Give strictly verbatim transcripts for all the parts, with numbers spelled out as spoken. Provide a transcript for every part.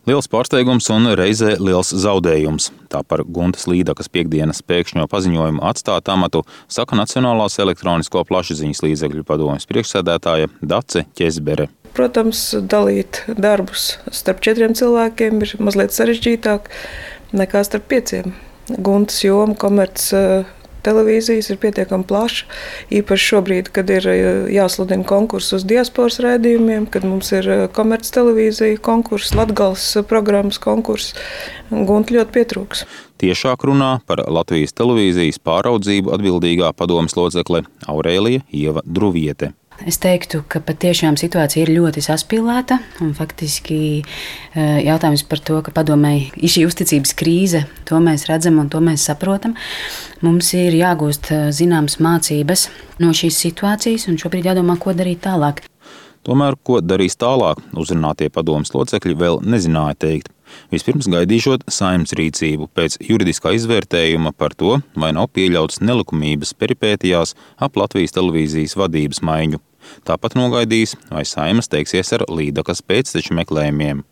Liels pārsteigums un reizē liels zaudējums. Tā par Guntas Līdakas piektdienas pēkšņo paziņojumu atstāt amatu saka Nacionālās elektronisko plašsaziņas līdzekļu padomes priekšsēdētāja Dace Ķezbere. Protams, dalīt darbus starp četriem cilvēkiem ir mazliet sarežģītāk nekā starp pieciem. Guntas joma komerc televīzijas ir pietiekami plaša, īpaši šobrīd, kad ir jāsludina konkurss uz diasporas raidījumiem, kad mums ir komerc televīzija konkurss, Latgales programmas konkurss. Gunta ļoti pietrūks. Tiešāk runā par Latvijas televīzijas pāraudzību atbildīgā padomes locekle Aurēlija Ieva Druviete. Es teiktu, ka patiešām situācija ir ļoti saspīlēta un faktiski jautājums par to, ka padomei ir šī uzticības krīze, to mēs redzam un to mēs saprotam. Mums ir jāgūst zināmas mācības no šīs situācijas un šobrīd jādomā, ko darīt tālāk. Tomēr, ko darīs tālāk, uzrunātie padomes locekļi vēl nezināja teikt. Vispirms gaidīšot Saeimas rīcību pēc juridiskā izvērtējuma par to, vai nav pieļauts nelikumības peripētijās ap Latvijas televīzijas vadības maiņu. Tāpat nogaidīs, vai Saeimas teiksies ar Līdakas pēcteču meklējumiem.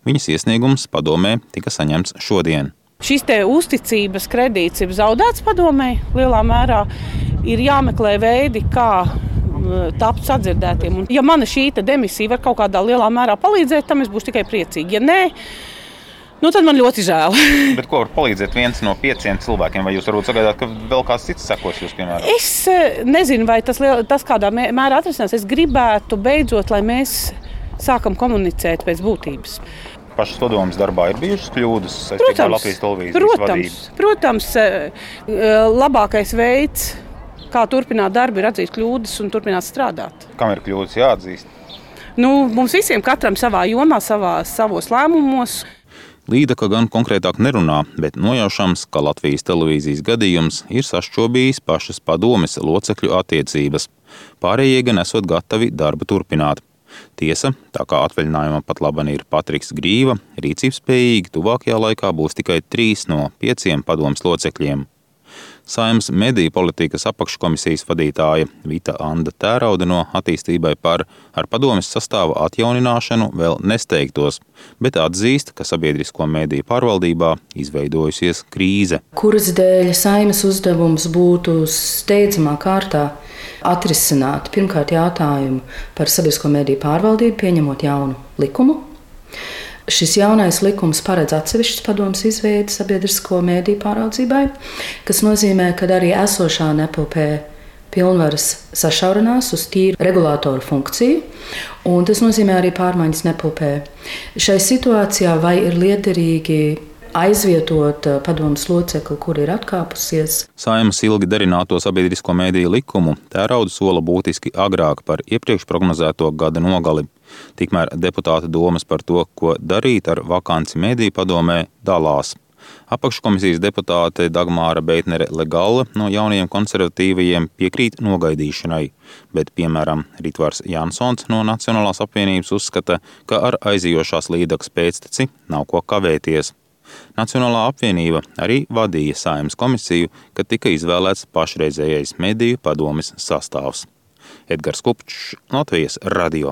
Viņas iesniegums padomē tika saņemts šodien. Šis te uzticības kredīts ir zaudēts padomē lielā mērā. Ir jāmeklē veidi, kā tapt sadzirdētiem. Un, ja mana šī demisija var kaut kādā lielā mērā palīdzēt, tam es būšu tikai priecīgi. Ja nē, nu tad man ļoti žēl. Bet ko var palīdzēt viens no pieciem cilvēkiem? Vai jūs varbūt sagaidāt, ka vēl kāds cits sekos jūs, piemēram? Es nezinu, vai tas, tas kādā mērā atrisinās. Es gribētu beidzot, lai mēs sākam komunicēt pēc būtības. Pašas padomes darbā ir bijušas kļūdas saistībā ar Latvijas televīzijas protams, vadību? Protams, labākais veids, kā turpināt darbu, ir atzīt kļūdas un turpināt strādāt. Kam ir kļūdas jāatzīst? Nu, mums visiem katram savā jomā, savā, savos lēmumos. Līdaka gan konkrētāk nerunā, bet nojaušams, ka Latvijas televīzijas gadījums ir sašķobījis pašas padomes locekļu attiecības. Pārējie gan esot gatavi darbu turpināt. Tiesa, tā kā atvaļinājumā pat laban ir Patriks Grīva, rīcībspējīgi tuvākajā laikā būs tikai trīs no pieciem padomes locekļiem. Saeimas mediju politikas apakškomisijas vadītāja Vita Anda Tēraude no attīstībai par ar padomes sastāva atjaunināšanu vēl nesteigtos, bet atzīst, ka sabiedrisko mediju pārvaldībā izveidojusies krīze. Kuras dēļ Saeimas uzdevums būtu steidzamā kārtā atrisināt pirmkārt jautājumu par sabiedrisko mediju pārvaldību, pieņemot jaunu likumu. Šis jaunais likums paredz atsevišķas padomes izveidi sabiedrisko mediju pāraudzībai, kas nozīmē, ka arī esošā nepilpē pilnvaras sašaurinās uz tīru regulātoru funkciju, un tas nozīmē arī pārmaiņas nepilpē. Šai situācijā vai ir liederīgi aizvietot padomes locekli, kur ir atkāpusies? Saeimas ilgi darināto sabiedrisko mediju likumu Tēraude sola būtiski agrāk par iepriekš prognozēto gada nogali. Tikmēr deputāta domas par to, ko darīt ar vakanci mediju padomē, dalās. Apakškomisijas deputāte Dagmāra Beitnere-Legalla no jaunajiem konservatīvajiem piekrīt nogaidīšanai, bet, piemēram, Ritvars Jansons no Nacionālās apvienības uzskata, ka ar aizijošās Līdakas pēcteci nav ko kavēties. Nacionālā apvienība arī vadīja Saeimas komisiju, kad tika izvēlēts pašreizējais mediju padomes sastāvs. Edgars Kupčs, Latvijas radio.